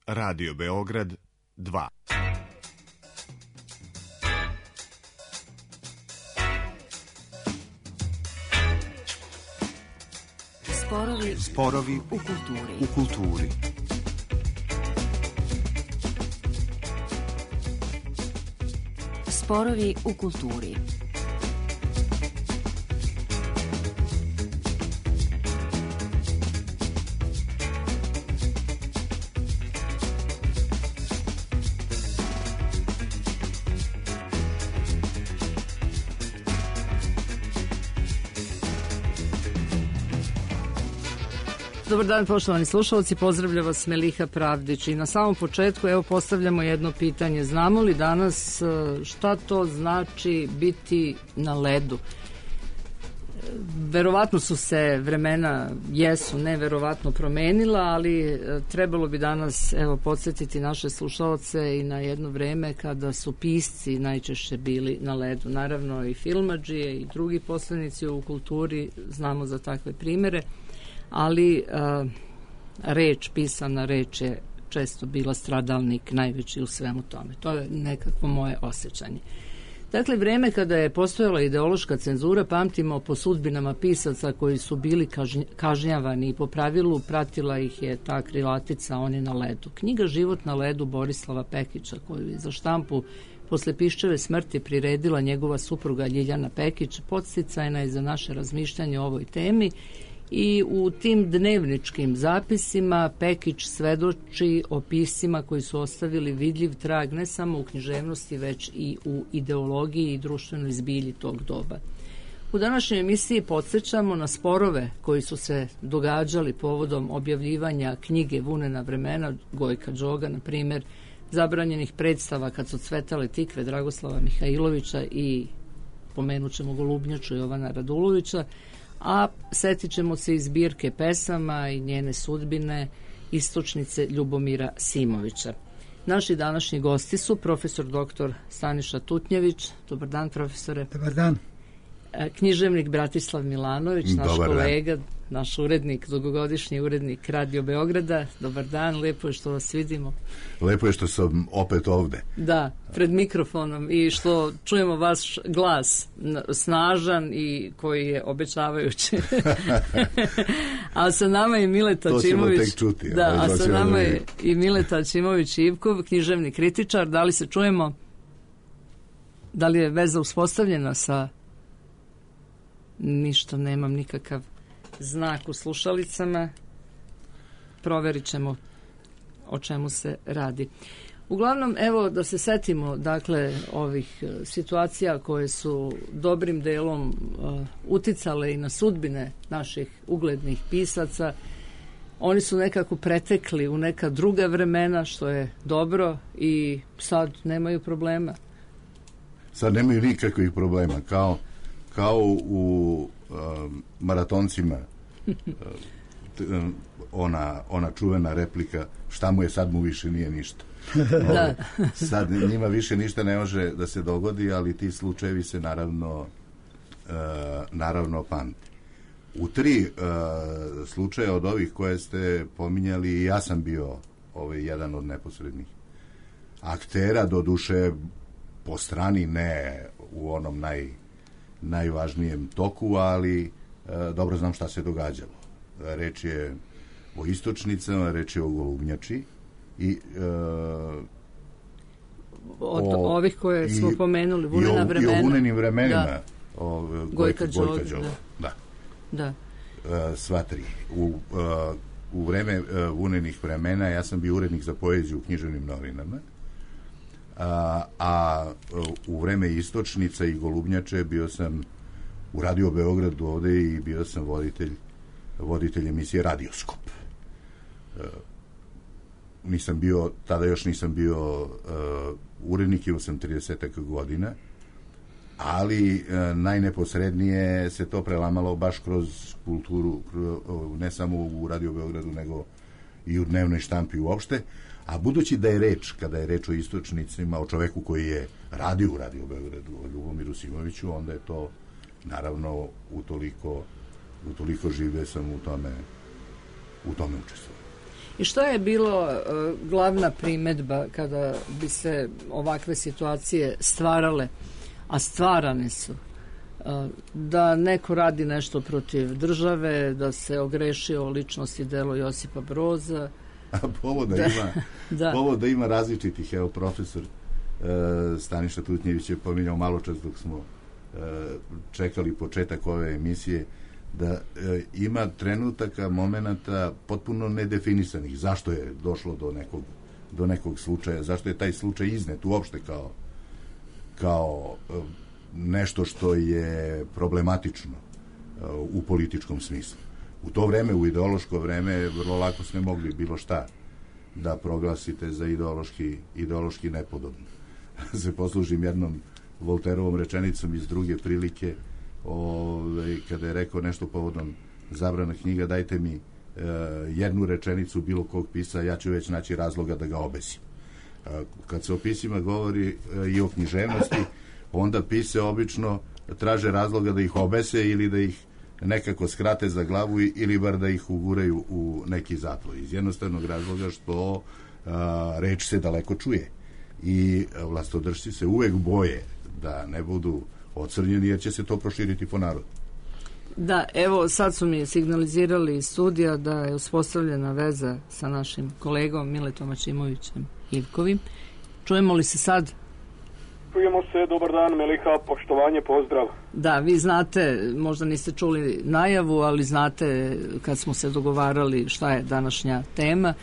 Radio Beograd 2. Sporovi u kulturi. Sporovi u kulturi. Dobar dan, poštovani slušalci, pozdravlja vas Meliha Pravdić i na samom početku postavljamo jedno pitanje. Znamo li danas šta to znači biti na ledu? Verovatno su se vremena, neverovatno promenila, ali trebalo bi danas podsjetiti naše slušalce i na jedno vreme kada su pisci najčešće bili na ledu. Naravno i filmadžije i drugi poslenici u kulturi, znamo za takve primere, ali pisana reč je često bila stradalnik najveći u svemu tome. To je nekakvo moje osjećanje. Dakle, vreme kada je postojala ideološka cenzura pamtimo po sudbinama pisaca koji su bili kažnjavani i po pravilu pratila ih je ta krilatica "On je na ledu". Knjiga "Život na ledu" Borislava Pekića, koju je za štampu posle Piščeve smrti priredila njegova supruga Ljiljana Pekić, podsticajna je za naše razmišljanje o ovoj temi. I u tim dnevničkim zapisima Pekić svedoči o piscima koji su ostavili vidljiv trag ne samo u književnosti, već i u ideologiji i društvenoj zbilji tog doba. U današnjoj emisiji podsjećamo na sporove koji su se događali povodom objavljivanja knjige "Vunena vremena" Gojka Đoga, na primjer, zabranjenih predstava "Kad su cvetale tikve" Dragoslava Mihajlovića i pomenut ćemo Golubnjaču Jovana Radulovića, a setit ćemo se i zbirke pesama i njene sudbine Istočnice Ljubomira Simovića. Naši današnji gosti su profesor dr. Staniša Tutnjević. Dobar dan, profesore. Dobar dan. Književnik Bratislav Milanović, naš kolega, naš urednik, dugogodišnji urednik Radio Beograda. Dobar dan, lepo je što vas vidimo. Lepo je što sam opet ovde. Da, pred mikrofonom i što čujemo vaš glas, snažan i koji je obećavajući. A sa nama je Mileta Ćimović. To ćemo tek čuti. Da, a sa nama je i Mileta Ćimović-Ivkov, književni kritičar. Da li se čujemo? Da li je veza uspostavljena sa... Ništa, nemam nikakav znak u slušalicama. Proverit ćemo o čemu se radi. Uglavnom, da se setimo, dakle, ovih situacija koje su dobrim delom uticale i na sudbine naših uglednih pisaca. Oni su nekako pretekli u neka druga vremena, što je dobro, i sad nemaju problema. Sad nemaju nikakvih problema, kao u maratoncima, ona čuvena replika "Šta mu je, sad mu više nije ništa". Da. Sad njima više ništa ne može da se dogodi, ali ti slučajevi se naravno pamti. U 3 slučaja od ovih koje ste pominjali, ja sam bio jedan od neposrednih aktera, doduše po strani, ne u onom najvažnijem toku, ali dobro znam šta se događalo. Reč je o Istočnicama, reč je o Golubnjači i ovih koje smo pomenuli, Vunena vremena. I o Vunenim vremenima. Da. Gojka Đoga. Da. Sva 3. U vreme Vunenih vremena ja sam bio urednik za poeziju u književnim novinama, a u vreme Istočnica i Golubnjače bio sam u Radio Beogradu ovde i bio sam voditelj emisije Radioskop. Tada još nisam bio urednik, imao sam 30 godina, ali najneposrednije se to prelamalo baš kroz kulturu, ne samo u Radio Beogradu, nego i u dnevnoj štampi uopšte. A budući da je reč, kada je reč o Istočnicima, o čoveku koji je radio u Radio Beogradu, o Ljubomiru Simoviću, onda je to naravno utoliko žive sam u tome učestvovao. I što je bilo glavna primedba kada bi se ovakve situacije stvarale, a stvarane su? Da neko radi nešto protiv države, da se ogrešio o ličnost i delo Josipa Broza. Povoda ima različitih. Evo, profesor Staniša Tutnjević je pominjao malo čas dok smo čekali početak ove emisije, da ima trenutaka, momenata potpuno nedefinisanih. Zašto je došlo do nekog slučaja? Zašto je taj slučaj iznet uopšte kao nešto što je problematično u političkom smislu? U to vreme, u ideološko vreme, vrlo lako ste mogli bilo šta da proglasite za ideološki nepodobno. Se poslužim jednom Volterovom rečenicom iz druge prilike, kada je rekao nešto povodom zabrana knjiga, dajte mi jednu rečenicu bilo kog pisa, ja ću već naći razloga da ga obesim. Kad se o pisima govori i o književnosti, onda pise obično traže razloga da ih obese ili da ih nekako skrate za glavu ili bar da ih uguraju u neki zatvor. Iz jednostavnog razloga što reč se daleko čuje i vlastodržci se uvek boje da ne budu ocrnjeni jer će se to proširiti po narodu. Da, evo sad su mi signalizirali iz studija da je uspostavljena veza sa našim kolegom Miletom Ačimovićem Ivkovim. Čujemo li se sad? Čujemo se, dobar dan Meliha, poštovanje, pozdrav. Da, vi znate, možda niste čuli najavu, ali znate kad smo se dogovarali šta je današnja tema.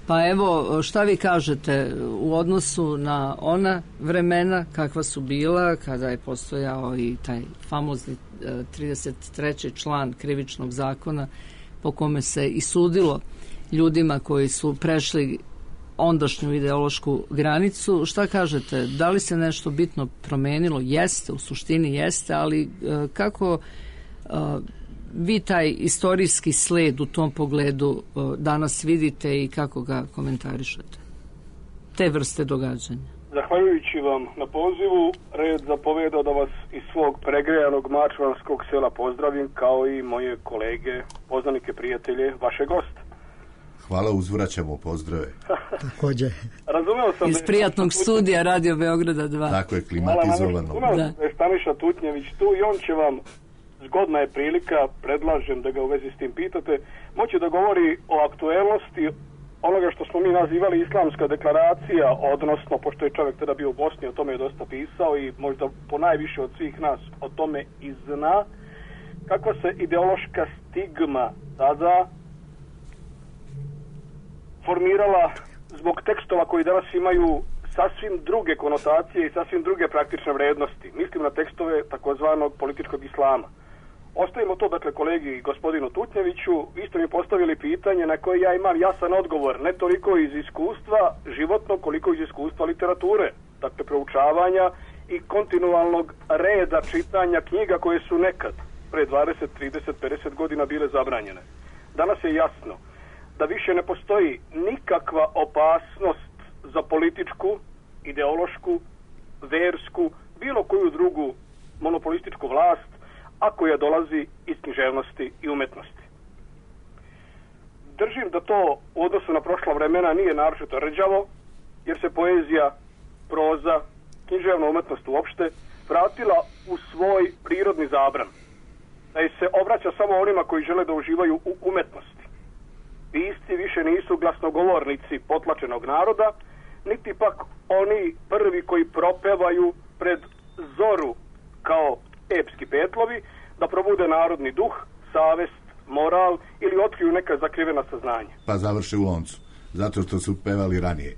Pa evo, šta vi kažete u odnosu na ona vremena kakva su bila, kada je postojao i taj famozni 33. član krivičnog zakona po kome se i sudilo ljudima koji su prešli ondašnju ideološku granicu. Šta kažete? Da li se nešto bitno promenilo? Jeste, u suštini jeste, ali kako vi taj istorijski sled u tom pogledu danas vidite i kako ga komentarišete? Te vrste događanja. Zahvaljujući vam na pozivu, red zapoveda da vas iz svog pregrejanog mačvanskog sela pozdravim, kao i moje kolege, poznanike, prijatelje, vaše goste. Hvala, uzvraćamo pozdrave. Također. Razumeo sam iz prijatnog studija Radio Beograda 2. Tako je, klimatizovano. Da je Staniša Tutnjević tu i on će vam, zgodna je prilika, predlažem da ga u vezi s tim pitate, moći da govori o aktuelnosti onoga što smo mi nazivali islamska deklaracija, odnosno, pošto je čovjek tada bio u Bosni, o tome je dosta pisao i možda ponajviše od svih nas o tome i zna, kakva se ideološka stigma tada formirala zbog tekstova koji danas imaju sasvim druge konotacije i sasvim druge praktične vrednosti. Mislim na tekstove takozvanog političkog islama. Ostavimo to, dakle, kolegi gospodinu Tutnjeviću, vi ste mi postavili pitanje na koje ja imam jasan odgovor, ne toliko iz iskustva životnog, koliko iz iskustva literature, dakle, proučavanja i kontinualnog reda čitanja knjiga koje su nekad, pre 20, 30, 50 godina bile zabranjene. Danas je jasno da više ne postoji nikakva opasnost za političku, ideološku, versku, bilo koju drugu monopolističku vlast, a koja dolazi iz književnosti i umetnosti. Držim da to u odnosu na prošla vremena nije naročito rđavo, jer se poezija, proza, književna umetnost uopšte vratila u svoj prirodni zabran. Da je se obraća samo onima koji žele da uživaju u umetnosti. Pisci više nisu glasnogovornici potlačenog naroda, niti pak oni prvi koji propevaju pred zoru kao epski petlovi, da probude narodni duh, savest, moral ili otkriju neka zakrivena saznanja. Pa završe u loncu, zato što su pevali ranije.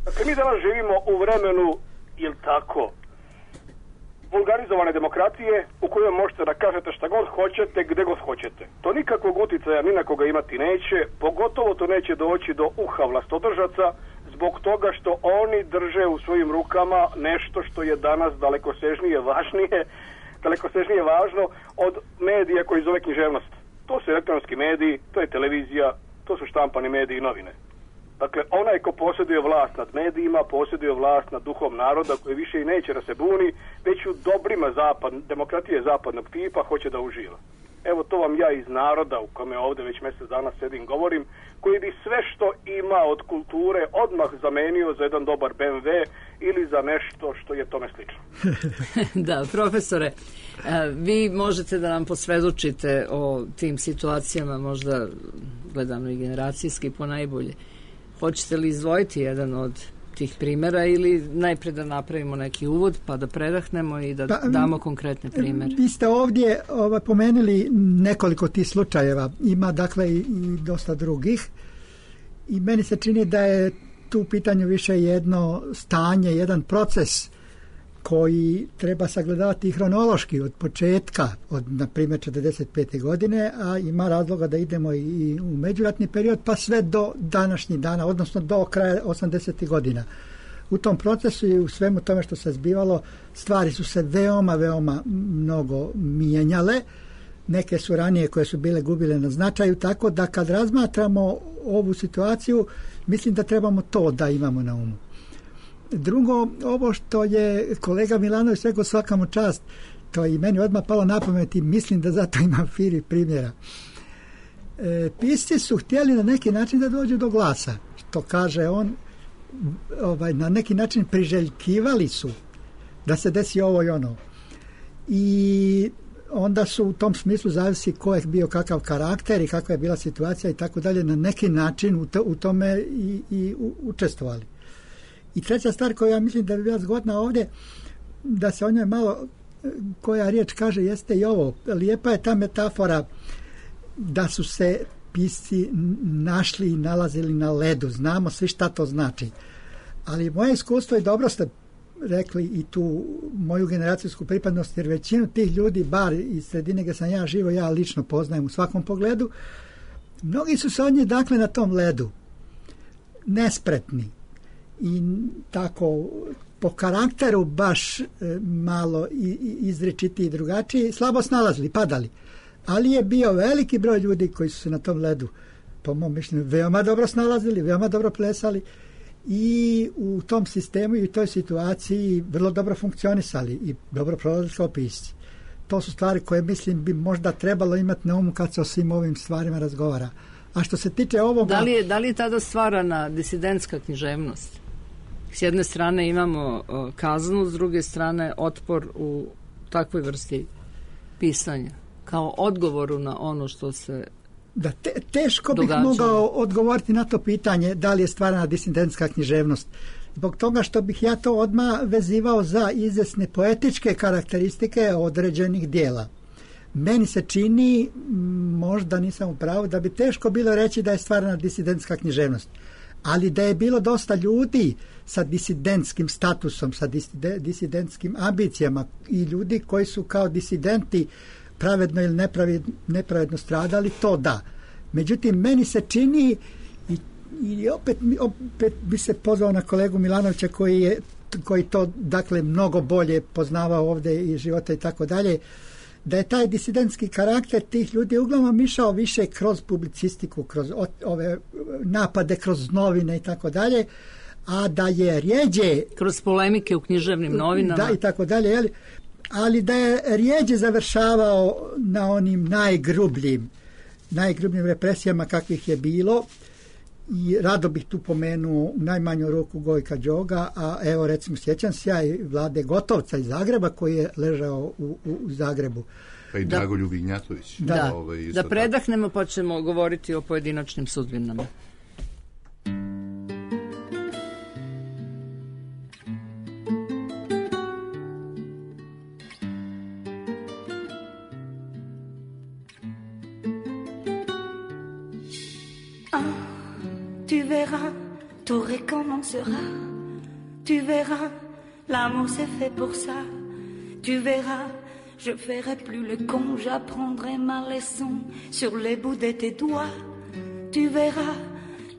Dakle, mi danas živimo u vremenu, jel tako, vulgarizovane demokratije u kojoj možete da kažete šta god hoćete, gde god hoćete. To nikakvog uticaja ni na koga imati neće, pogotovo to neće doći do uha vlastodržaca, zbog toga što oni drže u svojim rukama nešto što je danas dalekosežnije važno od medija koji zove književnost. To su elektronski mediji, to je televizija, to su štampani mediji i novine. Dakle, onaj ko posjeduje vlast nad medijima, posjeduje vlast nad duhom naroda koji više i neće da se buni, već u dobrima demokratije zapadnog tipa hoće da uživa. evo to vam ja iz naroda u kome ovdje već mjesec dana sedim govorim, koji bi sve što ima od kulture odmah zamenio za jedan dobar BMW ili za nešto što je tome slično. Da, profesore, vi možete da nam posvjedočite o tim situacijama, možda gledano i generacijski ponajbolje. Hoćete li izdvojiti jedan od tih primjera ili najprije da napravimo neki uvod pa da predahnemo i da damo konkretne primjere? Vi ste ovdje pomenuli nekoliko tih slučajeva, ima dakle i dosta drugih i meni se čini da je tu u pitanju više jedno stanje, jedan proces koji treba sagledavati i hronološki od početka, od na primjer 45. godine, a ima razloga da idemo i u međuratni period pa sve do današnjih dana, odnosno do kraja 80. godina. U tom procesu i u svemu tome što se zbivalo, stvari su se veoma mnogo mijenjale. Neke su ranije koje su bile gubile na značaju, tako da kad razmatramo ovu situaciju, mislim da trebamo to da imamo na umu. Drugo, ovo što je kolega Milanović rekao, svaka mu čast, to je i meni odmah palo na pamet i mislim da zato imam firi primjera. Pisci su htjeli na neki način da dođu do glasa, što kaže on, na neki način priželjkivali su da se desi ovo i ono. I onda su u tom smislu, zavisi ko je bio kakav karakter i kakva je bila situacija i tako dalje, na neki način u tome i učestvovali. I treća stvar koju ja mislim da bi bila zgodna ovdje, da se o njoj malo koja riječ kaže, jeste i ovo. Lijepa je ta metafora da su se pisci našli i nalazili na ledu. Znamo svi šta to znači. Ali moje iskustvo, i dobro ste rekli i tu moju generacijsku pripadnost, jer većinu tih ljudi, bar iz sredine gdje sam ja živo, ja lično poznajem u svakom pogledu, mnogi su se od njih dakle na tom ledu nespretni i tako po karakteru baš malo izričitiji i drugačiji, slabo snalazili, padali. Ali je bio veliki broj ljudi koji su se na tom ledu, po mom mišljenju, veoma dobro snalazili, veoma dobro plesali i u tom sistemu i u toj situaciji vrlo dobro funkcionisali i dobro prolazili kao pisci. To su stvari koje mislim bi možda trebalo imati na umu kad se o svim ovim stvarima razgovara. A što se tiče ovoga... Da li je tada stvarana disidentska književnost? S jedne strane imamo kaznu, s druge strane otpor u takvoj vrsti pisanja, kao odgovoru na ono što se teško bih mogao odgovoriti na to pitanje da li je stvarana disidentska književnost. Zbog toga što bih ja to odmah vezivao za izvjesne poetičke karakteristike određenih dijela. Meni se čini, možda nisam u pravu, da bi teško bilo reći da je stvarana disidentska književnost. Ali da je bilo dosta ljudi sa disidentskim statusom, sa disidentskim ambicijama i ljudi koji su kao disidenti pravedno ili nepravedno stradali, to da. Međutim, meni se čini, i opet bi se pozvao na kolegu Milanovića koji to dakle mnogo bolje poznavao ovdje i života i tako dalje, da je taj disidentski karakter tih ljudi uglavnom išao više kroz publicistiku, kroz ove napade, kroz novine i tako dalje, a da je rjeđe... Kroz polemike u književnim novinama. Da, i tako dalje, ali da je rjeđe završavao na onim najgrubljim represijama kakvih je bilo. I rado bih tu pomenuo u najmanju ruku Gojka Đoga, a evo recimo sjećam se ja i Vlade Gotovca iz Zagreba koji je ležao u Zagrebu. Pa i Dragolju Vignjatović. Da predahnemo pa ćemo govoriti o pojedinačnim sudbinama. Tu verras, tout recommencera. Tu verras, l'amour c'est fait pour ça. Tu verras, je ferai plus le con, j'apprendrai ma leçon sur les bouts de tes doigts. Tu verras,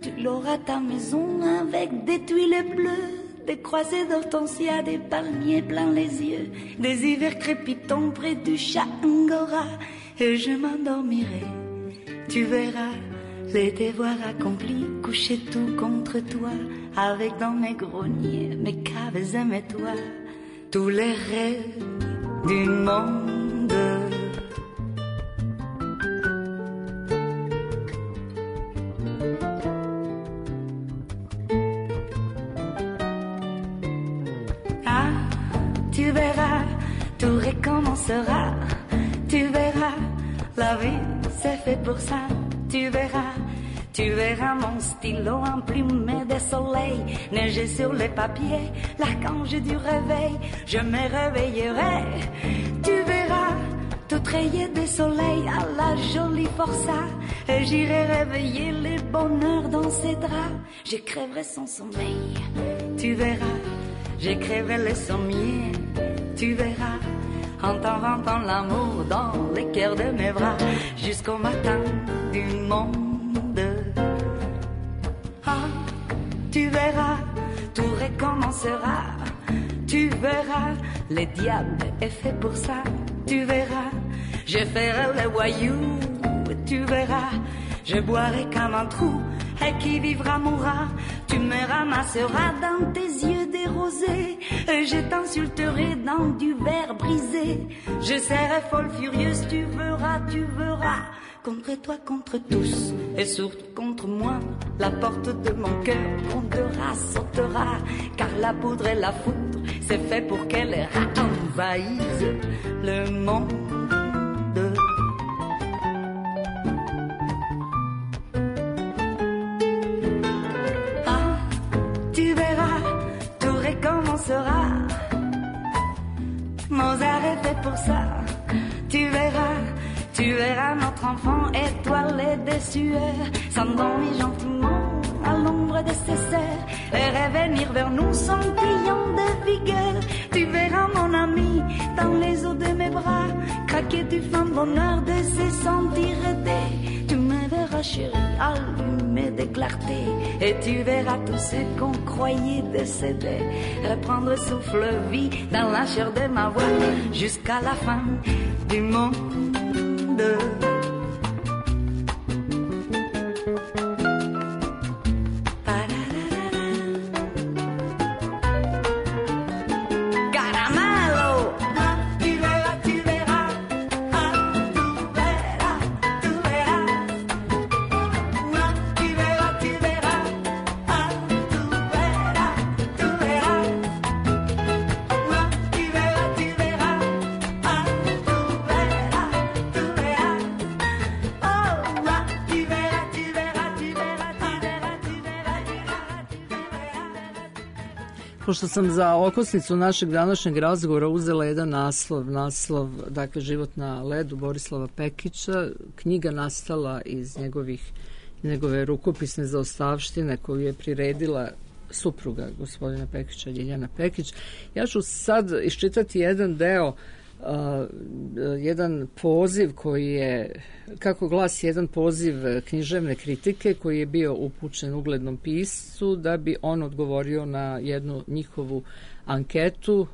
tu l'auras ta maison avec des tuiles bleues, des croisées d'hortensia, des palmiers plein les yeux, des hivers crépitants près du chat Angora, et je m'endormirai. Tu verras les devoirs accomplis, coucher tout contre toi, avec dans mes greniers, mes caves et mes toits, tous les rêves du monde. verras, tout recommencera. Tu verras, la vie c'est fait pour ça. Tu verras mon stylo emplumé de soleil, neiger sur les papiers, l'archange du réveil. Je me réveillerai, tu verras, tout rayé de soleil à la jolie forçat. Et j'irai réveiller les bonheurs dans ses draps. J'écrirai son sommeil, tu verras, j'écrirai les sommiers, tu verras. En t'en l'amour dans les cœurs de mes bras, jusqu'au matin du monde. Ah, tu verras, tout recommencera. Tu verras, le diable est fait pour ça. Tu verras, je ferai le voyou. Tu verras, je boirai comme un trou. Et qui vivra mourra. Tu me ramasseras dans tes yeux des rosés. Et je t'insulterai dans du verre brisé. Je serai folle furieuse, tu verras. Contre toi, contre tous, et surtout contre moi. La porte de mon cœur grondera, sautera. Car la poudre et la foudre, c'est fait pour qu'elle envahisse le monde. Ah, tu verras, tout recommencera. Mozart est fait pour ça. Tu verras notre enfant étoilé de sueur, s'endormir gentiment à l'ombre de ses sœurs et revenir vers nous scintillant de vigueur. Tu verras mon ami dans les eaux de mes bras, craquer du fin bonheur de se sentir aidé. Tu me verras chérie, allumé de clarté, et tu verras tout ce qu'on croyait décédé reprendre souffle vie dans la chair de ma voix jusqu'à la fin du monde. Pošto sam za okosnicu našeg današnjeg razgovora uzela jedan naslov, dakle Život na ledu Borislava Pekića, knjiga nastala iz njegove rukopisne zaostavštine koju je priredila supruga gospodina Pekića, Ljiljana Pekić. Ja ću sad iščitati jedan deo, jedan poziv koji je, kako glasi jedan poziv književne kritike koji je bio upućen uglednom piscu da bi on odgovorio na jednu njihovu anketu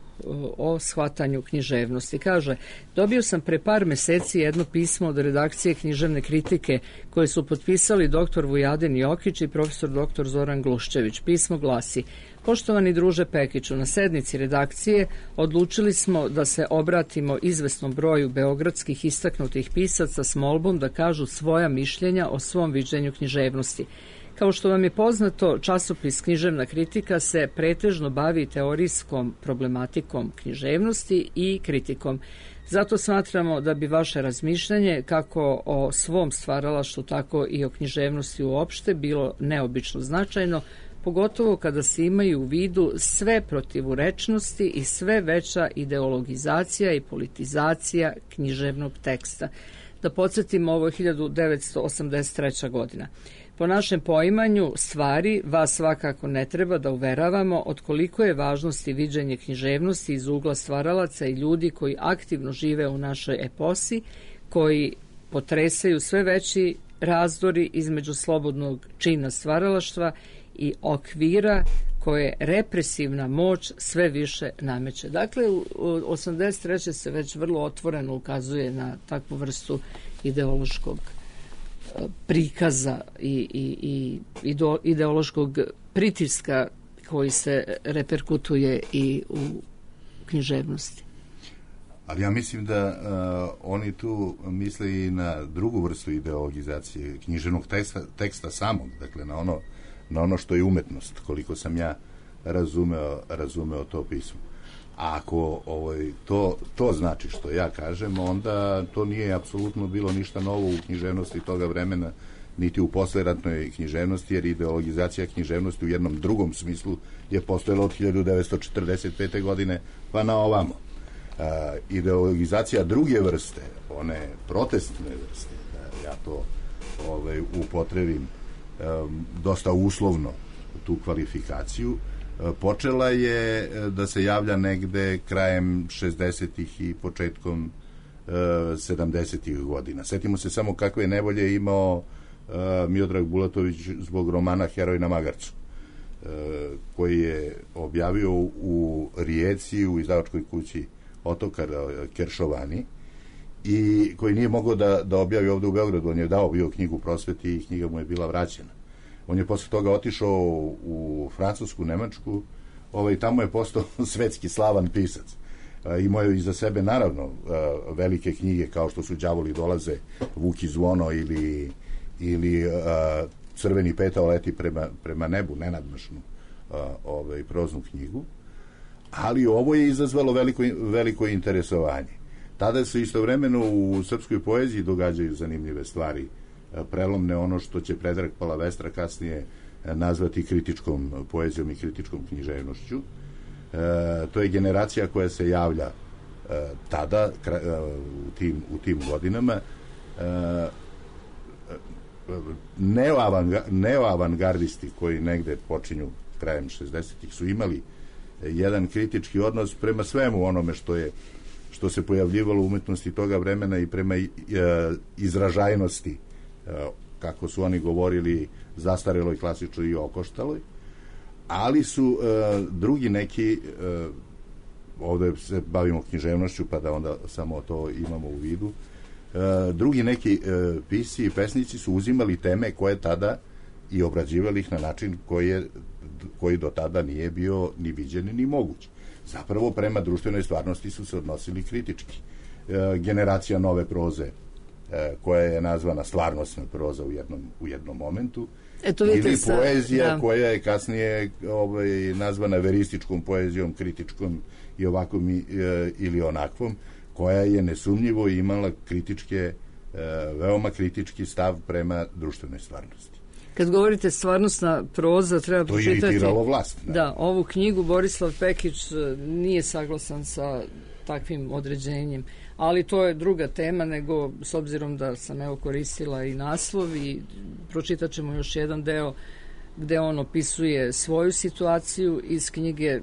o shvatanju književnosti. Kaže, dobio sam pre par meseci jedno pismo od redakcije književne kritike koje su potpisali dr. Vujadin Jokić i profesor dr. Zoran Gluščević. Pismo glasi: Poštovani druže Pekiću, na sednici redakcije odlučili smo da se obratimo izvesnom broju beogradskih istaknutih pisaca s molbom da kažu svoja mišljenja o svom viđenju književnosti. Kao što vam je poznato, časopis Književna kritika se pretežno bavi teorijskom problematikom književnosti i kritikom. Zato smatramo da bi vaše razmišljanje kako o svom stvaralaštvu, tako i o književnosti uopšte bilo neobično značajno, pogotovo kada se imaju u vidu sve protivurečnosti i sve veća ideologizacija i politizacija književnog teksta. Da podsjetimo, ovo je 1983. godina. Po našem poimanju stvari vas svakako ne treba da uveravamo od koliko je važnosti viđenje književnosti iz ugla stvaralaca i ljudi koji aktivno žive u našoj eposi, koji potresaju sve veći razdori između slobodnog čina stvaralaštva i okvira koje represivna moć sve više nameće. Dakle, u 83. se već vrlo otvoreno ukazuje na takvu vrstu ideološkog prikaza i ideološkog pritiska koji se reperkutuje i u književnosti. Ali ja mislim da oni tu misle i na drugu vrstu ideologizacije književnog teksta samog, dakle na ono što je umetnost, koliko sam ja razumeo to pismo. A ako to znači što ja kažem, onda to nije apsolutno bilo ništa novo u književnosti toga vremena, niti u posleratnoj književnosti, jer ideologizacija književnosti u jednom drugom smislu je postojala od 1945. godine pa na ovamo. Ideologizacija druge vrste, one protestne vrste, ja to upotrebim dosta uslovno tu kvalifikaciju, počela je da se javlja negde krajem 60-ih i početkom 70-ih godina. Setimo se samo kakve nevolje imao Miodrag Bulatović zbog romana Heroj na magarcu, koji je objavio u Rijeci u izdavačkoj kući Otokar Keršovani i koji nije mogao da objavi ovde u Beogradu. On je dao bio knjigu Prosveti i knjiga mu je bila vraćena. On je posle toga otišao u Francusku, Nemačku, tamo je postao svetski slavan pisac. Imao je iza sebe naravno velike knjige kao što su Đavoli dolaze, Vuk i zvono ili Crveni petao leti prema nebu, nenadmašnu proznu knjigu, ali ovo je izazvalo veliko interesovanje. Tada se istovremeno u srpskoj poeziji događaju zanimljive stvari, prelomne, ono što će Predrag Palavestra kasnije nazvati kritičkom poezijom i kritičkom književnošću. To je generacija koja se javlja tada u tim godinama. Neoavangardisti koji negde počinju krajem 60-ih su imali jedan kritički odnos prema svemu onome što se pojavljivalo u umetnosti toga vremena i prema izražajnosti, kako su oni govorili, zastareloj, klasičnoj i okoštaloj, ali su drugi neki, ovde se bavimo književnošću pa da onda samo to imamo u vidu, drugi neki pisci i pesnici su uzimali teme koje tada i obrađivali ih na način koji do tada nije bio ni viđen ni moguć. Zapravo prema društvenoj stvarnosti su se odnosili kritički. Generacija nove proze, koja je nazvana stvarnostna proza u jednom momentu, ili poezija koja je kasnije nazvana verističkom poezijom, kritičkom i ovakvom ili onakvom, koja je nesumnjivo imala veoma kritički stav prema društvenoj stvarnosti. Kad govorite stvarnostna proza, treba pročitati... To je iritiralo vlast. Da, ovu knjigu Borislav Pekić nije saglasan sa takvim određenjem, ali to je druga tema, nego s obzirom da sam koristila i naslov i pročitat ćemo još jedan deo gde on opisuje svoju situaciju iz knjige.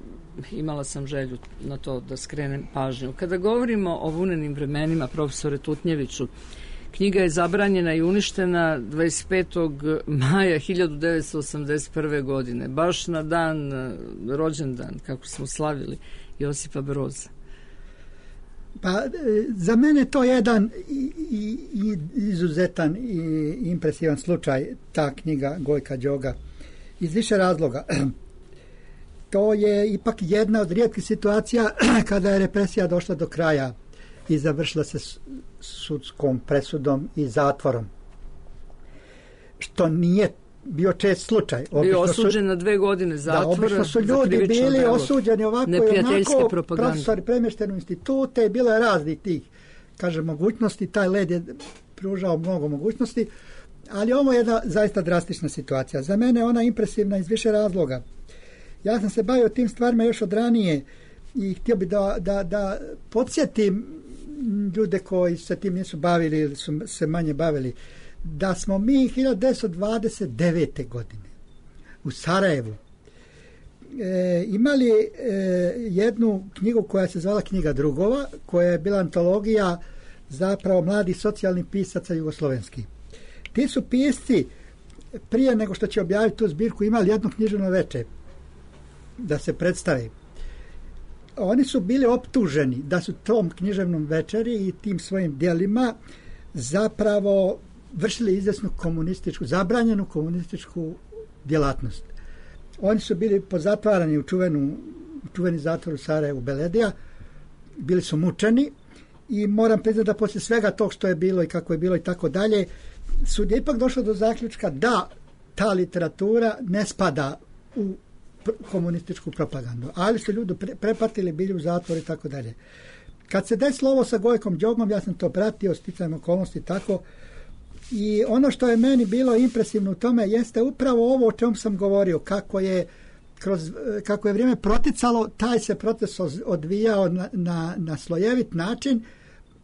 Imala sam želju na to da skrenem pažnju. Kada govorimo o vunenim vremenima, profesore Tutnjeviću, knjiga je zabranjena i uništena 25. maja 1981. godine, baš na rođendan, kako smo slavili, Josipa Broza. Pa, za mene to je jedan izuzetan i impresivan slučaj, ta knjiga Gojka Đoga, iz više razloga. To je ipak jedna od rijetkih situacija kada je represija došla do kraja i završila se sudskom presudom i zatvorom. Što nije bio čest slučaj. Bio osuđen na 2 godine zatvora. Da, obično su ljudi bili osuđeni ovako i onako, profesori premješteni u institute, i bilo je raznih tih, mogućnosti. Taj led je pružao mnogo mogućnosti, ali ovo je jedna zaista drastična situacija. Za mene ona impresivna iz više razloga. Ja sam se bavio tim stvarima još od ranije i htio bi da podsjetim ljude koji se tim nisu bavili ili su se manje bavili, da smo mi 1929. godine u Sarajevu imali jednu knjigu koja se zvala Knjiga drugova, koja je bila antologija zapravo mladih socijalnih pisaca jugoslovenskih. Ti su pisci prije nego što će objaviti tu zbirku imali jedno književno veče da se predstave. Oni su bili optuženi da su tom književnom večeri i tim svojim djelima zapravo vršili izvesnu zabranjenu komunističku djelatnost. Oni su bili pozatvarani u čuveni zatvor u Sarajevu Beledija, bili su mučeni i moram priznati da poslije svega tog što je bilo i kako je bilo i tako dalje, sud je ipak došao do zaključka da ta literatura ne spada u komunističku propagandu. Ali su ljudi prepatili, bili u zatvoru i tako dalje. Kad se desilo ovo sa Gojkom Đogom, ja sam to pratio, sticajem okolnosti tako, i ono što je meni bilo impresivno u tome jeste upravo ovo o čemu sam govorio, kako je vrijeme proticalo, taj se proces odvijao na slojevit način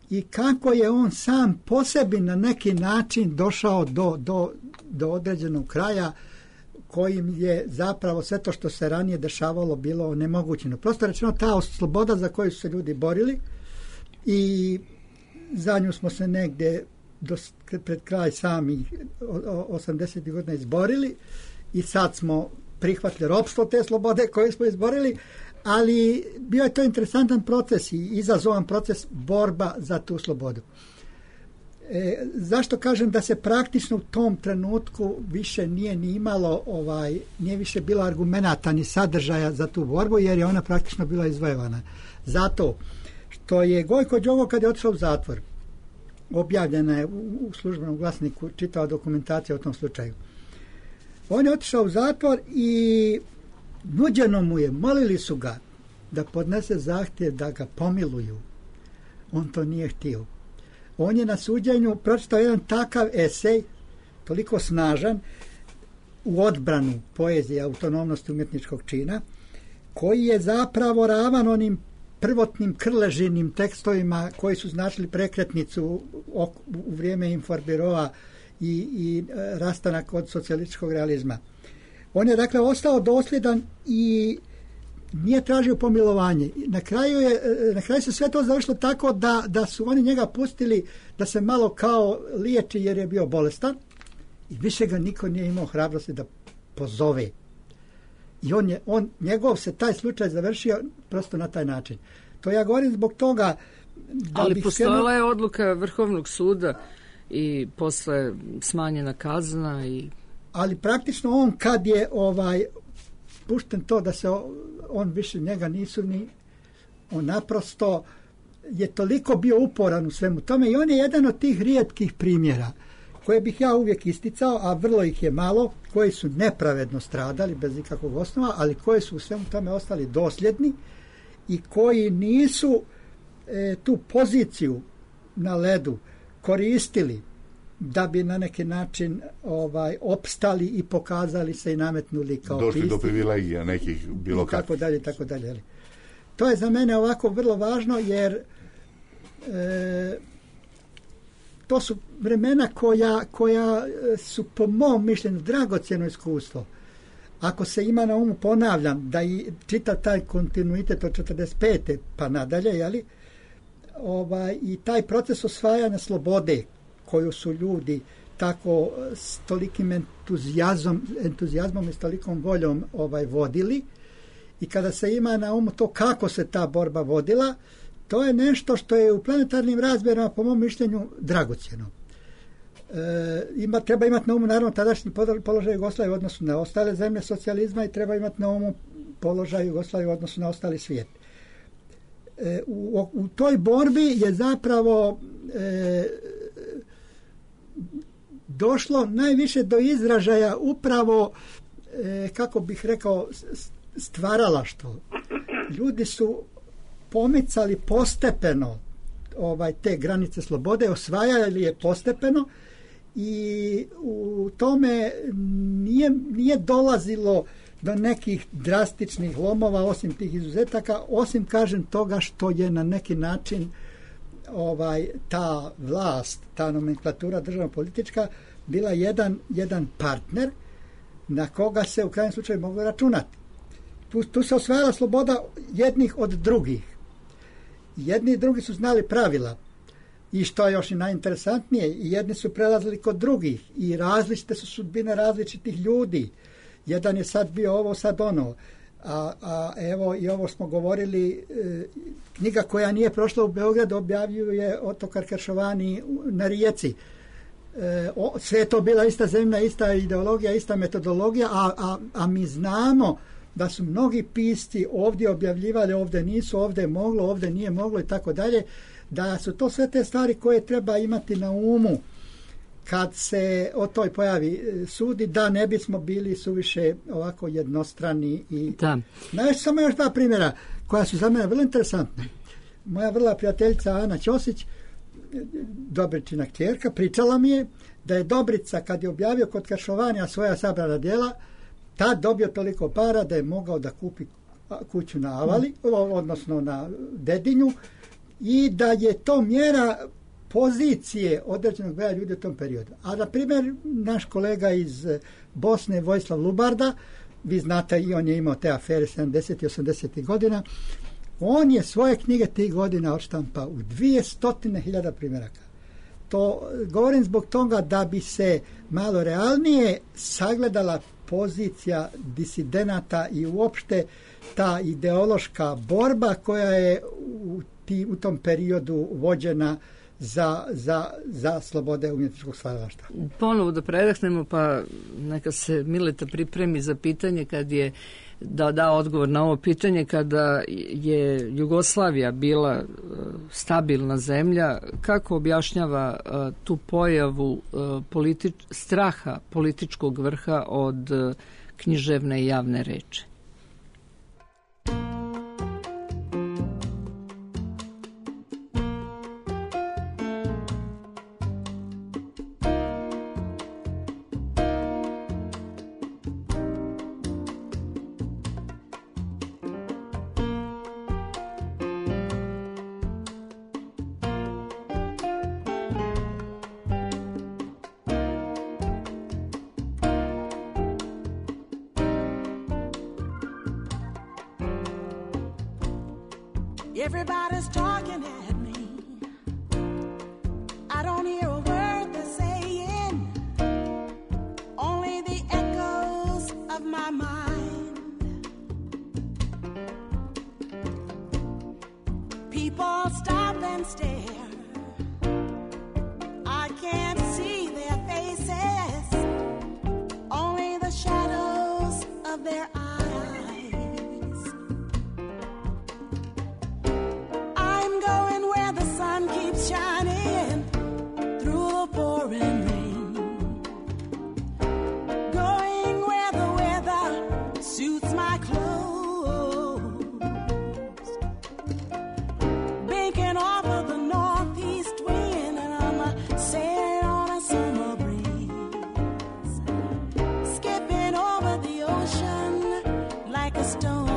i kako je on sam po sebi na neki način došao do određenog kraja kojim je zapravo sve to što se ranije dešavalo bilo onemogućeno. Prosto rečeno, ta sloboda za koju su se ljudi borili i za nju smo se negdje pred kraj samih 80. godina izborili i sad smo prihvatili ropstvo te slobode koje smo izborili, ali bio je to interesantan proces i izazovan proces borba za tu slobodu. Zašto kažem da se praktično u tom trenutku više nije ni imalo, nije više bilo argumenata ni sadržaja za tu borbu, jer je ona praktično bila izvojevana. Zato što je Gojko Đogo, kad je otišao u zatvor, objavljena je u službenom glasniku čitava dokumentacija o tom slučaju. On je otišao u zatvor i nuđeno mu je, molili su ga da podnese zahtjev da ga pomiluju. On to nije htio. On je na suđenju pročitao jedan takav esej, toliko snažan, u odbranu poezije, autonomnosti umjetničkog čina, koji je zapravo ravan onim prvotnim krležinim tekstovima koji su značili prekretnicu u vrijeme Informbirova i rastanak od socijalističkog realizma. On je dakle ostao dosljedan i nije tražio pomilovanje. Na kraju se sve to završilo tako da su oni njega pustili da se malo kao liječi jer je bio bolestan i više ga niko nije imao hrabrosti da pozove. I njegov se taj slučaj završio prosto na taj način. To ja govorim zbog toga ali postojala je odluka Vrhovnog suda i posle smanjena kazna ali praktično on kad je pušten to da se on više njega nisu ni on naprosto je toliko bio uporan u svemu tome i on je jedan od tih rijetkih primjera koje bih ja uvijek isticao, a vrlo ih je malo, koji su nepravedno stradali bez ikakvog osnova, ali koji su u svemu tome ostali dosljedni i koji nisu tu poziciju na ledu koristili da bi na neki način opstali i pokazali se i nametnuli kao došli pisci. Do privilegija nekih bilo kakvih. Tako dalje. To je za mene ovako vrlo važno jer to su vremena koja su po mom mišljenju dragocjeno iskustvo. Ako se ima na umu, ponavljam, da i čita taj kontinuitet od 45. pa nadalje, jeli, i taj proces osvajanja slobode koju su ljudi tako s tolikim entuzijazmom i s tolikom voljom vodili i kada se ima na umu to kako se ta borba vodila, to je nešto što je u planetarnim razmjerima po mom mišljenju dragocjeno. Treba imati na umu naravno tadašnji položaj Jugoslavije u odnosu na ostale zemlje socijalizma i treba imati na umu položaj Jugoslavije u odnosu na ostali svijet. U toj borbi je zapravo došlo najviše do izražaja upravo, kako bih rekao, stvaralaštvo. Ljudi su pomicali postepeno te granice slobode, osvajali je postepeno i u tome nije dolazilo do nekih drastičnih lomova osim tih izuzetaka, osim kažem toga što je na neki način ta vlast, ta nomenklatura državno-politička bila jedan partner na koga se u krajnjem slučaju moglo računati. Tu se osvajala sloboda jednih od drugih. Jedni i drugi su znali pravila i što je još i najinteresantnije, i jedni su prelazili kod drugih i različite su sudbine različitih ljudi. Jedan je sad bio ovo, sad ono. A evo i ovo smo govorili, knjiga koja nije prošla u Beogradu objavljuje Otokar Keršovani na Rijeci. Sve je to bila ista zemlja, ista ideologija, ista metodologija, a mi znamo da su mnogi pisci ovdje objavljivali, ovdje nisu, ovdje je moglo, ovdje nije moglo i tako dalje, da su to sve te stvari koje treba imati na umu kad se o toj pojavi sudi, da ne bismo bili suviše ovako jednostrani. Samo još dva primjera koja su za mene vrlo interesantna. Moja vrla prijateljica Ana Ćosić, Dobričina kćerka, pričala mi je da je Dobrica, kad je objavio kod Kršovanja svoja sabrana djela, tad dobio toliko para da je mogao da kupi kuću na Avali, odnosno na Dedinju, i da je to mjera pozicije određenog broja ljudi u tom periodu. A na primjer, naš kolega iz Bosne, Vojislav Lubarda, vi znate, i on je imao te afere 70. i 80. godina, on je svoje knjige tih godina odštampao u 200.000 primjeraka. To govorim zbog toga da bi se malo realnije sagledala pozicija disidenata i uopšte ta ideološka borba koja je u tom periodu vođena za slobode umjetničkog stvaralaštva. Ponovo da predahnemo, pa neka se Mileta pripremi za pitanje kad je da odgovor na ovo pitanje, kada je Jugoslavija bila stabilna zemlja, kako objašnjava tu pojavu straha političkog vrha od književne i javne reči? Everybody's talking at me. I don't hear a word they're saying, only the echoes of my mind. People stop and stare. I can't see their faces, only the shadows of their eyes. Shining through the pouring rain, going where the weather suits my clothes, banking off of the northeast wind, and I'm sailing on a summer breeze, skipping over the ocean like a stone.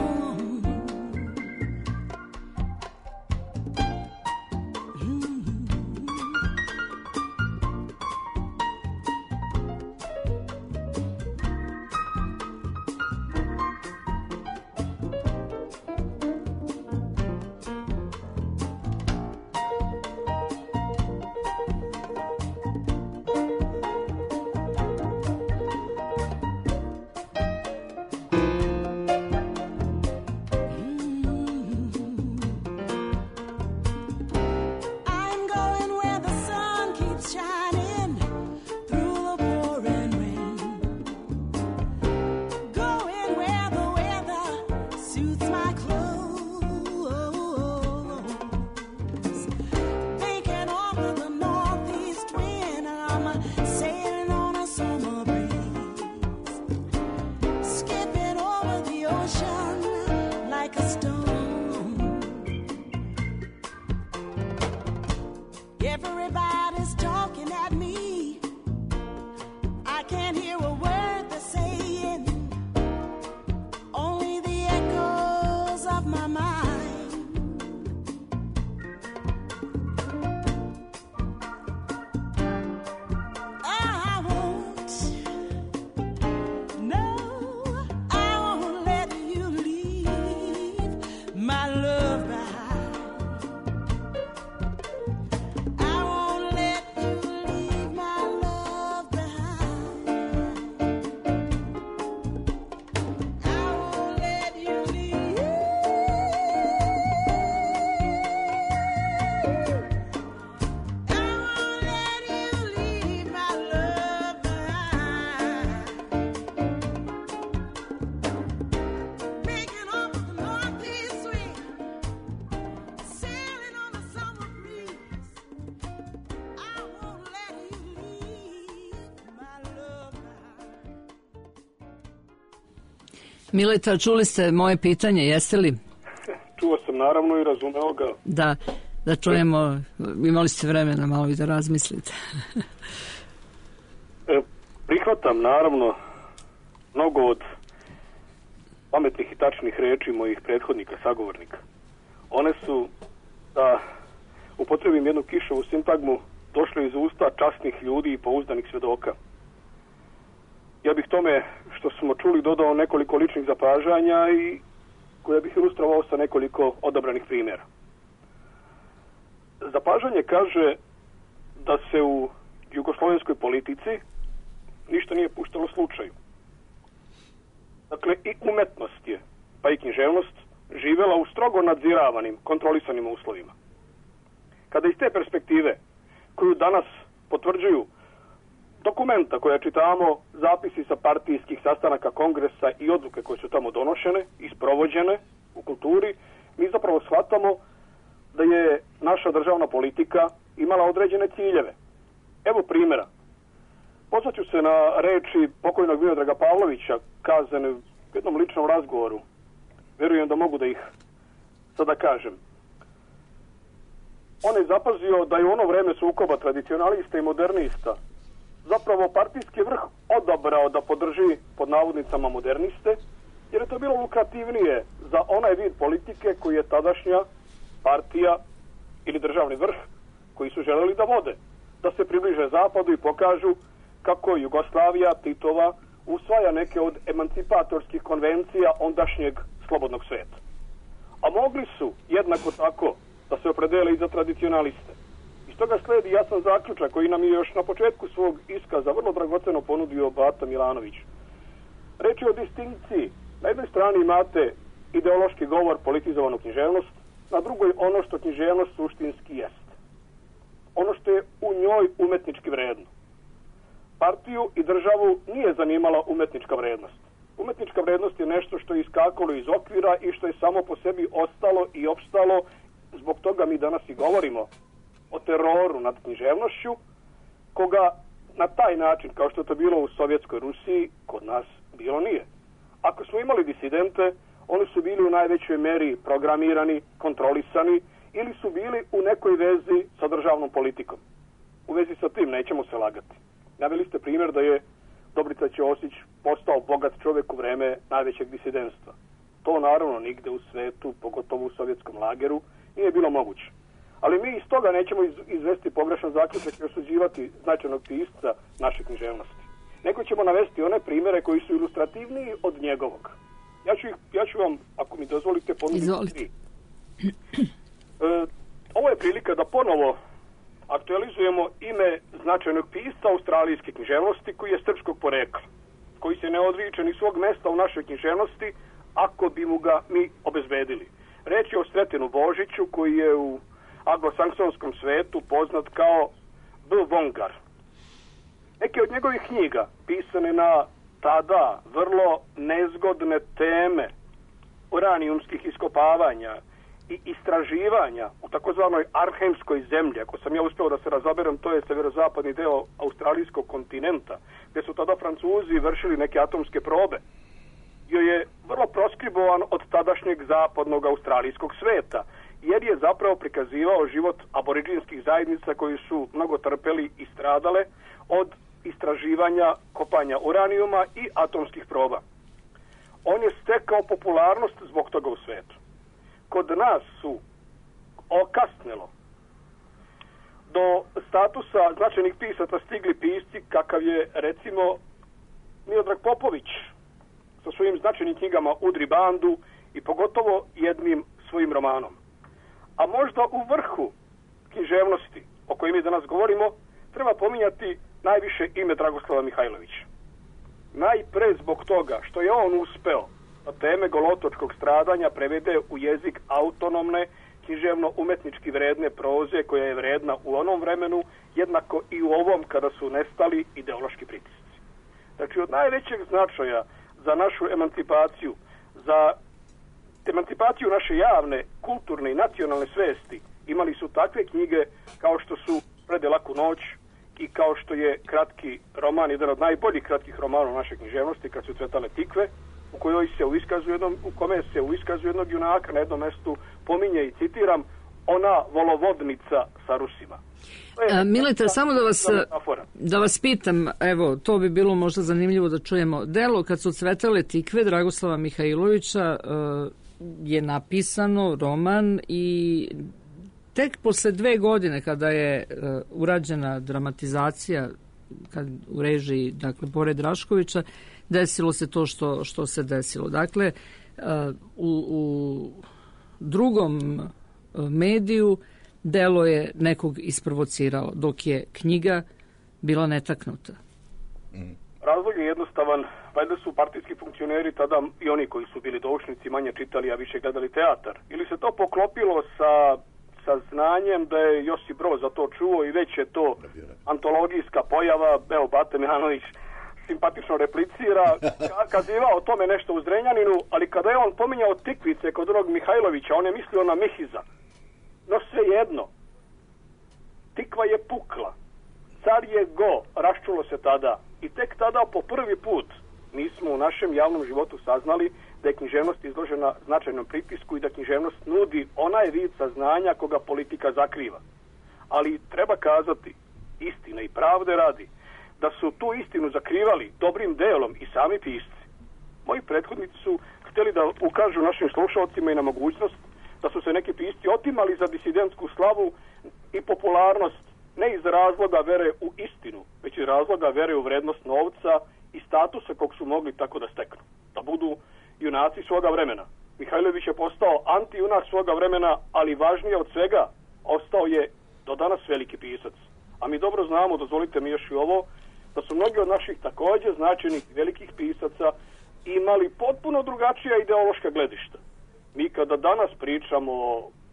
Everybody's talking at me. I can't hear a word they're saying, only the echoes of my mind. I won't let you leave. Mileta, čuli ste moje pitanje, jeste li? Čuo sam naravno i razumeo ga. Da čujemo, imali ste vremena malo i da razmislite. Prihvatam naravno mnogo od pametnih i tačnih reči mojih prethodnika, sagovornika. One su, da upotrebim jednu kišovu sintagmu, došle iz usta časnih ljudi i pouzdanih svjedoka. Ja bih tome što smo čuli dodao nekoliko ličnih zapažanja i koje bih ilustrovao sa nekoliko odabranih primjera. Zapažanje kaže da se u jugoslovenskoj politici ništa nije puštalo slučaju. Dakle, i umetnost je, pa i književnost, živjela u strogo nadziravanim, kontrolisanim uslovima. Kada iz te perspektive, koju danas potvrđuju dokumenta koje čitamo, zapisi sa partijskih sastanaka kongresa i odluke koje su tamo donošene i sprovođene u kulturi, mi zapravo shvatamo da je naša državna politika imala određene ciljeve. Evo primjera. Pozvaću se na reči pokojnog Miodraga Pavlovića, kazane u jednom ličnom razgovoru. Vjerujem da mogu da ih sada kažem. On je zapazio da je u ono vreme sukoba tradicionalista i modernista zapravo partijski vrh odabrao da podrži pod navodnicama moderniste, jer je to bilo lukrativnije za onaj vid politike koji je tadašnja partija ili državni vrh koji su želeli da vode, da se približe zapadu i pokažu kako Jugoslavija Titova usvaja neke od emancipatorskih konvencija ondašnjeg slobodnog sveta. A mogli su jednako tako da se opredele i za tradicionaliste. Iz toga sledi jasan zaključak koji nam je još na početku svog iskaza vrlo dragoceno ponudio Bata Milanović. Reč je o distinkciji. Na jednoj strani imate ideološki govor, politizovanu književnost, na drugoj ono što književnost suštinski jest. Ono što je u njoj umetnički vredno. Partiju i državu nije zanimala umetnička vrednost. Umetnička vrednost je nešto što je iskakalo iz okvira i što je samo po sebi ostalo i opstalo. Zbog toga mi danas i govorimo o teroru nad književnošću, koga na taj način, kao što je to bilo u Sovjetskoj Rusiji, kod nas bilo nije. Ako smo imali disidente, oni su bili u najvećoj meri programirani, kontrolisani ili su bili u nekoj vezi sa državnom politikom. U vezi sa tim nećemo se lagati. Naveli ste primjer da je Dobrica Ćosić postao bogat čovjek u vreme najvećeg disidentstva. To naravno nigde u svetu, pogotovo u sovjetskom lageru, nije bilo moguće. Ali mi iz toga nećemo izvesti pogrešan zaključak i osuđivati značajnog pisca naše književnosti. Nego ćemo navesti one primjere koji su ilustrativniji od njegovog. Ja ću vam, ako mi dozvolite, ponuditi 3. Ovo je prilika da ponovo aktualizujemo ime značajnog pisca australijske književnosti koji je srpskog porekla, koji se ne odriče ni svog mesta u našoj književnosti ako bi mu ga mi obezbedili. Reč je o Sretenu Božiću koji je u anglosaksonskom svetu poznat kao B. Vongar. Neke od njegovih knjiga pisane na tada vrlo nezgodne teme uranijumskih iskopavanja i istraživanja u takozvanoj arhemskoj zemlji, ako sam ja uspeo da se razaberem, to je severozapadni deo australijskog kontinenta, gdje su tada Francuzi vršili neke atomske probe. Bio je vrlo proskribovan od tadašnjeg zapadnog australijskog sveta, jer je zapravo prikazivao život aboriđinskih zajednica koji su mnogo trpeli i stradale od istraživanja kopanja uranijuma i atomskih proba. On je stekao popularnost zbog toga u svetu. Kod nas su okasnelo do statusa značajnih pisaca stigli pisci kakav je recimo Miodrag Popović sa svojim značajnim knjigama Udri bandu i pogotovo jednim svojim romanom. A možda u vrhu književnosti o kojoj mi danas govorimo treba pominjati najviše ime Dragoslava Mihajlovića. Najpre zbog toga što je on uspeo da teme golotočkog stradanja prevede u jezik autonomne, književno-umetnički vredne proze koja je vredna u onom vremenu, jednako i u ovom kada su nestali ideološki pritisci. Znači od najvećeg značaja za našu emancipaciju, za emancipaciju naše javne, kulturne i nacionalne svesti imali su takve knjige kao što su Prede laku noć i kao što je kratki roman, jedan od najboljih kratkih romana u našoj književnosti, Kad su cvetale tikve, u kome se u iskazu jednog junaka na jednom mestu pominje i citiram ona volovodnica sa Rusima. Mileta, samo da vas pitam, evo, to bi bilo možda zanimljivo da čujemo. Delo Kad su cvetale tikve Dragoslava Mihajlovića je napisano, roman, i tek posle 2 godine kada je urađena dramatizacija u režiji, dakle, pored Raškovića, desilo se to što se desilo. Dakle, u drugom mediju delo je nekog isprovocirao, dok je knjiga bila netaknuta. Razlog je jednostavan. Valjda su partijski funkcioneri tada i oni koji su bili doušnici manje čitali, a više gledali teatar. Ili se to poklopilo sa znanjem da je Josip Broz za to čuo i već je to antologijska pojava. Evo, Bate Mihanović simpatično replicira, kazivao o tome nešto u Zrenjaninu, ali kada je on pominjao tikvice kod onog Mihajlovića, on je mislio na Mihiza. No svejedno, tikva je pukla, car je go, raščulo se tada, i tek tada po prvi put mi smo u našem javnom životu saznali da je književnost izložena značajnom pritisku i da književnost nudi onaj vid saznanja koga politika zakriva. Ali treba kazati, istine i pravde radi, da su tu istinu zakrivali dobrim delom i sami pisci. Moji prethodnici su htjeli da ukažu našim slušalcima i na mogućnost da su se neki pisci otimali za disidentsku slavu i popularnost, ne iz razloga vere u istinu, već iz razloga vere u vrednost novca i statusa kog su mogli tako da steknu. Da budu junaci svoga vremena. Mihajlović je postao antijunak svoga vremena, ali važnije od svega, ostao je do danas veliki pisac. A mi dobro znamo, dozvolite mi još i ovo, da su mnogi od naših također značajnih velikih pisaca imali potpuno drugačija ideološka gledišta. Mi kada danas pričamo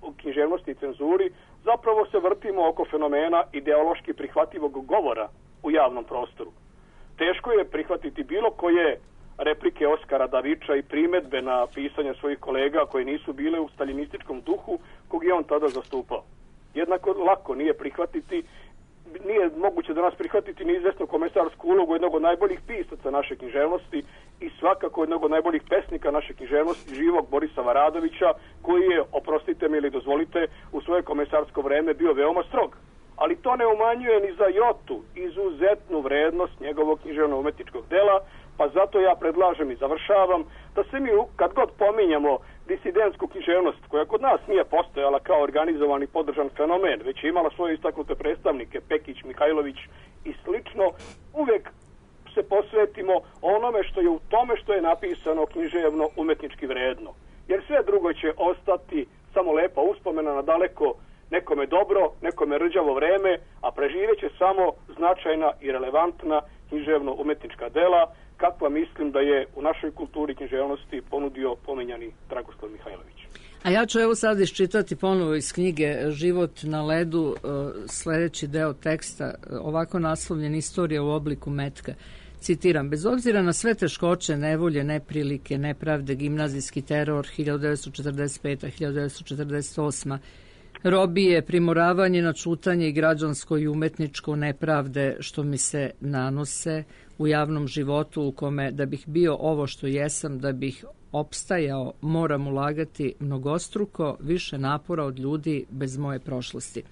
o književnosti i cenzuri, zapravo se vrtimo oko fenomena ideološki prihvatljivog govora u javnom prostoru. Teško je prihvatiti bilo koje replike Oskara Davića i primedbe na pisanje svojih kolega koje nisu bile u staljinističkom duhu kog je on tada zastupao. Jednako lako nije moguće danas prihvatiti neizvesnu komesarsku ulogu jednog od najboljih pisaca naše književnosti i svakako jednog od najboljih pesnika naše književnosti, živog Borisa Varadovića, koji je, oprostite mi ili dozvolite, u svoje komesarsko vreme bio veoma strog. Ali to ne umanjuje ni za jotu izuzetnu vrednost njegovog književno-umetničkog dela, pa zato ja predlažem i završavam da se mi, kad god pominjamo disidentsku književnost, koja kod nas nije postojala kao organizovan i podržan fenomen, već je imala svoje istaknute predstavnike, Pekić, Mihajlović i slično, uvek se posvetimo onome što je u tome što je napisano književno umetnički vredno. Jer sve drugo će ostati samo lepa uspomena na daleko nekome dobro, nekome rđavo vreme, a preživeće samo značajna i relevantna književno-umetnička dela, kakva mislim da je u našoj kulturi književnosti ponudio pomenjani Dragoslav Mihajlović. A ja ću evo sad iščitati ponovo iz knjige Život na ledu sljedeći deo teksta, ovako naslovljen Istorija u obliku metka. Citiram, bez obzira na sve teškoće, nevolje, neprilike, nepravde, gimnazijski teror 1945. 1948. robije, primoravanje na čutanje i građansko i umetničko nepravde što mi se nanose u javnom životu u kome da bih bio ovo što jesam, da bih opstajao, moram ulagati mnogostruko više napora od ljudi bez moje prošlosti.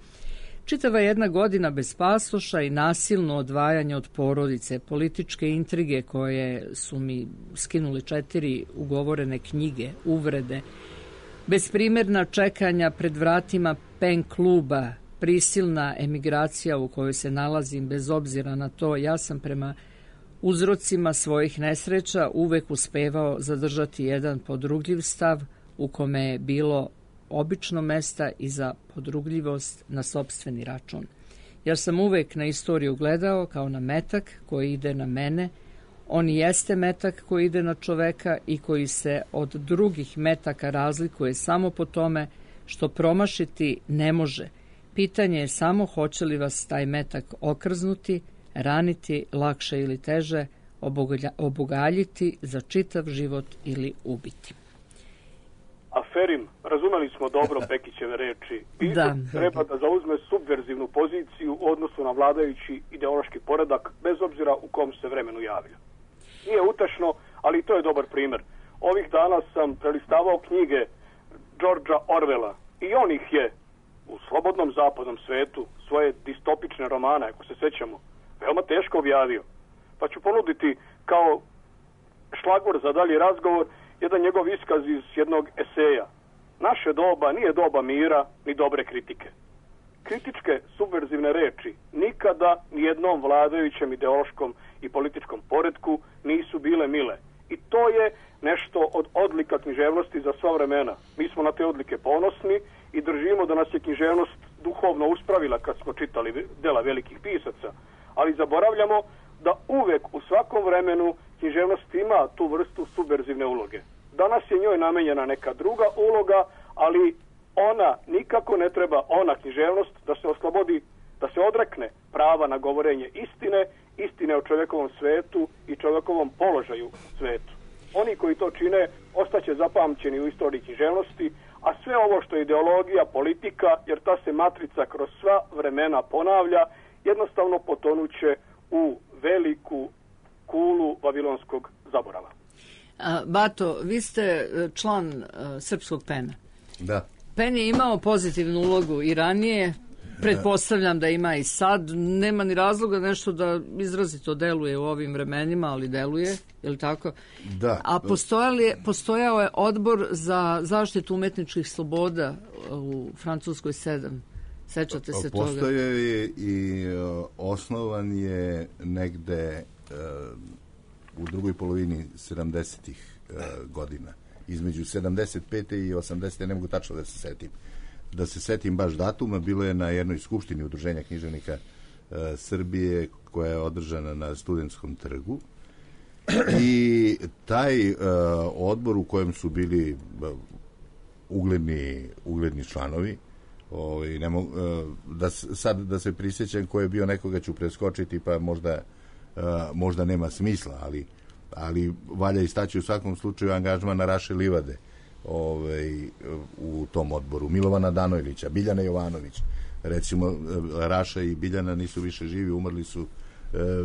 Čitava jedna godina bez pasoša i nasilno odvajanje od porodice, političke intrige koje su mi skinuli 4 ugovorene knjige, uvrede, besprimjerna čekanja pred vratima pen kluba, prisilna emigracija u kojoj se nalazim bez obzira na to, ja sam prema uzrocima svojih nesreća uvek uspevao zadržati jedan podrugljiv stav u kome je bilo obično mesta i za podrugljivost na sopstveni račun. Jer sam uvek na istoriju gledao kao na metak koji ide na mene. On jeste metak koji ide na čoveka i koji se od drugih metaka razlikuje samo po tome što promašiti ne može. Pitanje je samo hoće li vas taj metak okrznuti, raniti lakše ili teže, obogaljiti za čitav život ili ubiti. Aferim, razumeli smo dobro Pekićeve reči. Pisac treba da zauzme subverzivnu poziciju u odnosu na vladajući ideološki poredak, bez obzira u kom se vremenu javlja. Nije utešno, ali to je dobar primjer. Ovih dana sam prelistavao knjige Georgea Orwella i on ih je u slobodnom zapadnom svetu svoje distopične romane, ako se sećamo, veoma teško objavio. Pa ću ponuditi kao šlagvor za dalji razgovor jedan njegov iskaz iz jednog eseja. Naše doba nije doba mira ni dobre kritike. Kritičke subverzivne reči nikada nijednom vladajućem ideološkom i političkom poretku nisu bile mile. I to je nešto od odlika književnosti za sva vremena. Mi smo na te odlike ponosni i držimo da nas je književnost duhovno uspravila kad smo čitali dela velikih pisaca. Ali zaboravljamo da uvek u svakom vremenu književnost ima tu vrstu subverzivne uloge. Danas je njoj namenjena neka druga uloga, ali ona nikako ne treba, ona književnost, da se oslobodi, da se odrekne prava na govorenje istine o čovjekovom svetu i čovjekovom položaju u svetu. Oni koji to čine ostaće zapamćeni u istoriji književnosti, a sve ovo što je ideologija, politika, jer ta se matrica kroz sva vremena ponavlja, jednostavno potonuće u veliku kulu vavilonskog zaborava. Bato, vi ste član Srpskog PEN-a. Da. PEN je imao pozitivnu ulogu i ranije, pretpostavljam da ima i sad, nema ni razloga nešto da izrazito deluje u ovim vremenima, ali deluje, je li tako? Da. A postojao je odbor za zaštitu umetničkih sloboda u Francuskoj 7. Sećate se toga? Postojao je i osnovan je negde u drugoj polovini 70-ih godina. Između 75. i 80. ne mogu tačno da se setim. Da se setim baš datuma, bilo je na jednoj skupštini Udruženja književnika Srbije koja je održana na Studentskom trgu i taj odbor u kojem su bili ugledni članovi, da se prisjećam ko je bio, nekoga ću preskočiti pa možda nema smisla, ali valja istaći u svakom slučaju angažmana Raše Livade u tom odboru, Milovana Danojlića, Biljana Jovanović. Recimo, Raša i Biljana nisu više živi, umrli su.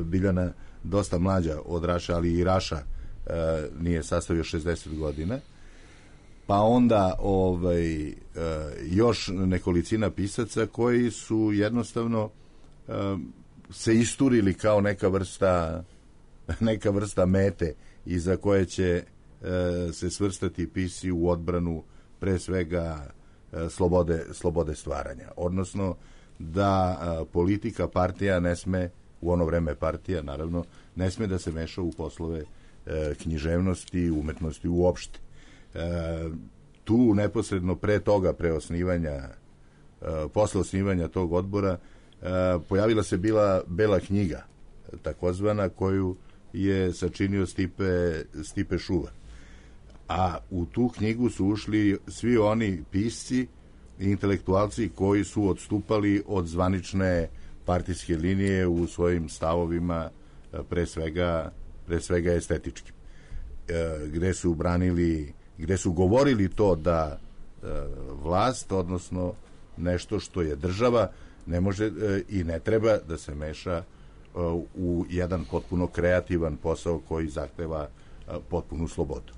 Biljana dosta mlađa od Raša, ali i Raša nije sastavio 60 godina. Pa onda još nekolicina pisaca koji su jednostavno se isturili kao neka vrsta mete iza koje će se svrstati pisci u odbranu pre svega slobode stvaranja. Odnosno da politika, partija ne sme, u ono vreme partija naravno, ne sme da se meša u poslove književnosti, umetnosti uopšte. Tu neposredno pre toga, posle osnivanja tog odbora, pojavila se bila Bela knjiga, takozvana, koju je sačinio Stipe Šuvar. A u tu knjigu su ušli svi oni pisci i intelektualci koji su odstupali od zvanične partijske linije u svojim stavovima, pre svega estetičkim. Gde su govorili to da vlast, odnosno nešto što je država, ne može i ne treba da se meša u jedan potpuno kreativan posao koji zahteva potpunu slobodu.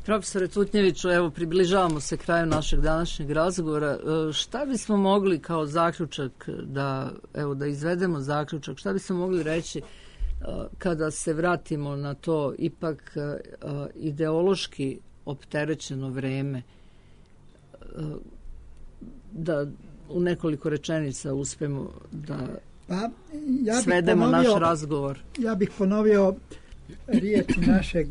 Profesore Tutnjeviću, evo, približavamo se kraju našeg današnjeg razgovora. Šta bismo mogli kao zaključak, da izvedemo zaključak, šta bismo mogli reći kada se vratimo na to ipak ideološki opterećeno vreme, da u nekoliko rečenica uspemo da svedemo naš razgovor? Ja bih ponovio riječi našeg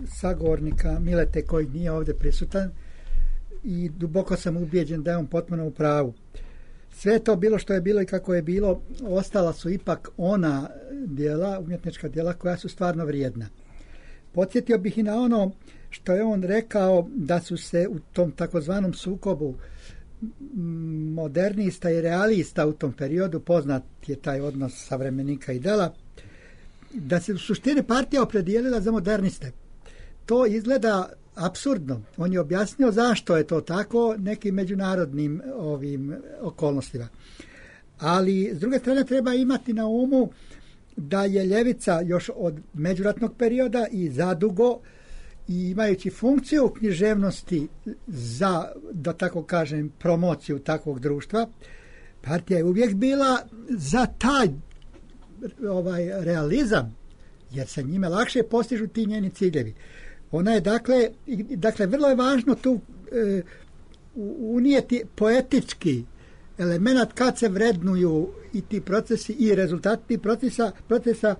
sagovornika Milete, koji nije ovdje prisutan, i duboko sam ubijeđen da je on potpuno u pravu. Sve to bilo što je bilo i kako je bilo, ostala su ipak ona djela, umjetnička djela koja su stvarno vrijedna. Podsjetio bih i na ono što je on rekao, da su se u tom takozvanom sukobu modernista i realista u tom periodu, poznat je taj odnos savremenika i dela, da se u suštini partija opredijelila za moderniste. To izgleda apsurdno. On je objasnio zašto je to tako nekim međunarodnim okolnostima. Ali s druge strane treba imati na umu da je ljevica još od međuratnog perioda i zadugo i imajući funkciju književnosti za, da tako kažem, promociju takvog društva, partija je uvijek bila za taj realizam, jer se njime lakše postižu ti njeni ciljevi. Ona je, dakle vrlo je važno tu unijeti poetički element kad se vrednuju i ti procesi i rezultati tih procesa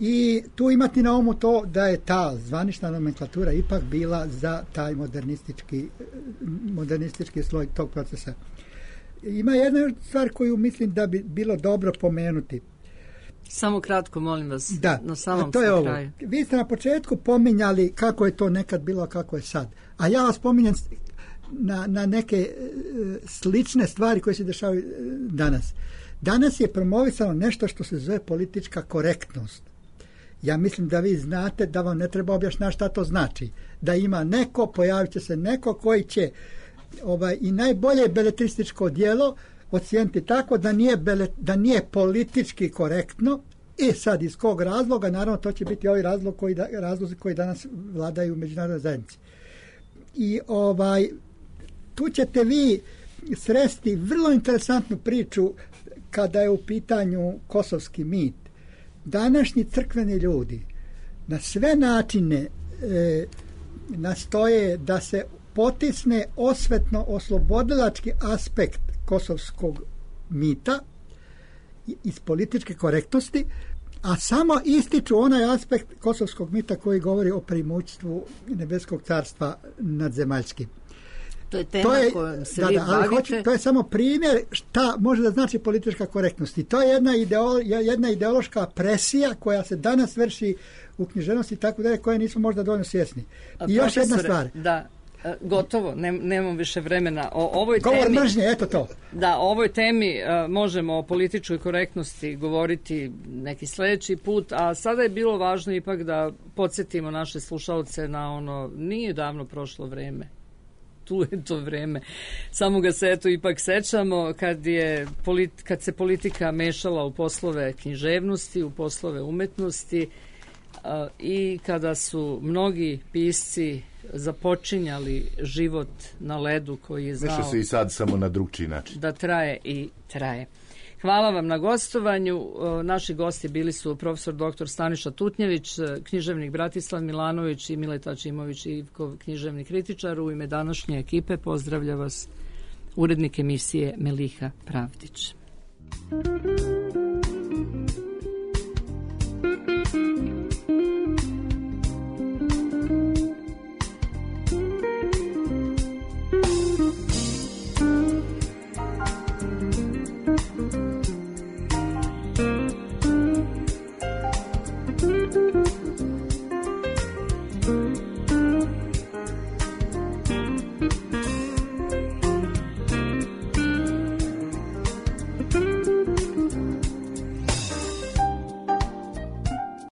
i tu imati na umu to da je ta zvanična nomenklatura ipak bila za taj modernistički sloj tog procesa. Ima jedna stvar koju mislim da bi bilo dobro pomenuti. Samo kratko, molim vas, da, na samom to je ovo. kraju. Vi ste na početku pominjali kako je to nekad bilo, a kako je sad. A ja vas pominjam na neke slične stvari koje se dešavaju danas. Danas je promovisano nešto što se zove politička korektnost. Ja mislim da vi znate da vam ne treba objašnjati šta to znači. Da ima neko, pojavit će se neko koji će i najbolje beletrističko djelo ocijeniti tako da nije politički korektno. I sad iz kog razloga? Naravno to će biti ovi razlozi koji danas vladaju u međunarodnoj zajednici. I tu ćete vi sresti vrlo interesantnu priču kada je u pitanju kosovski mit. Današnji crkveni ljudi na sve načine nastoje da se potisne osvetno-oslobodilački aspekt kosovskog mita iz političke korektnosti, a samo ističu onaj aspekt kosovskog mita koji govori o primućstvu nebeskog carstva nad zemaljskim. To je tema kojom se vi bavite. To je samo primjer šta može da znači politička korektnost. I to je jedna ideološka presija koja se danas vrši u književnosti i tako dalje, koje nismo možda dovoljno svjesni. I još jedna stvar. Da, gotovo, nemam više vremena. Govor mržnje, eto to. Da, o ovoj temi možemo o političkoj korektnosti govoriti neki sljedeći put, a sada je bilo važno ipak da podsjetimo naše slušalce na ono, nije davno prošlo vreme. Tu je to vreme. Samo ga se ipak sećamo kad se politika mešala u poslove književnosti, u poslove umetnosti i kada su mnogi pisci započinjali život na ledu koji je znao... Meša se i sad samo na drugčiji način. Da traje i traje. Hvala vam na gostovanju. Naši gosti bili su profesor dr. Staniša Tutnjević, književnik Bratislav Milanović i Mileta Čimović, književni kritičar. U ime današnje ekipe pozdravlja vas urednik emisije Meliha Pravdić.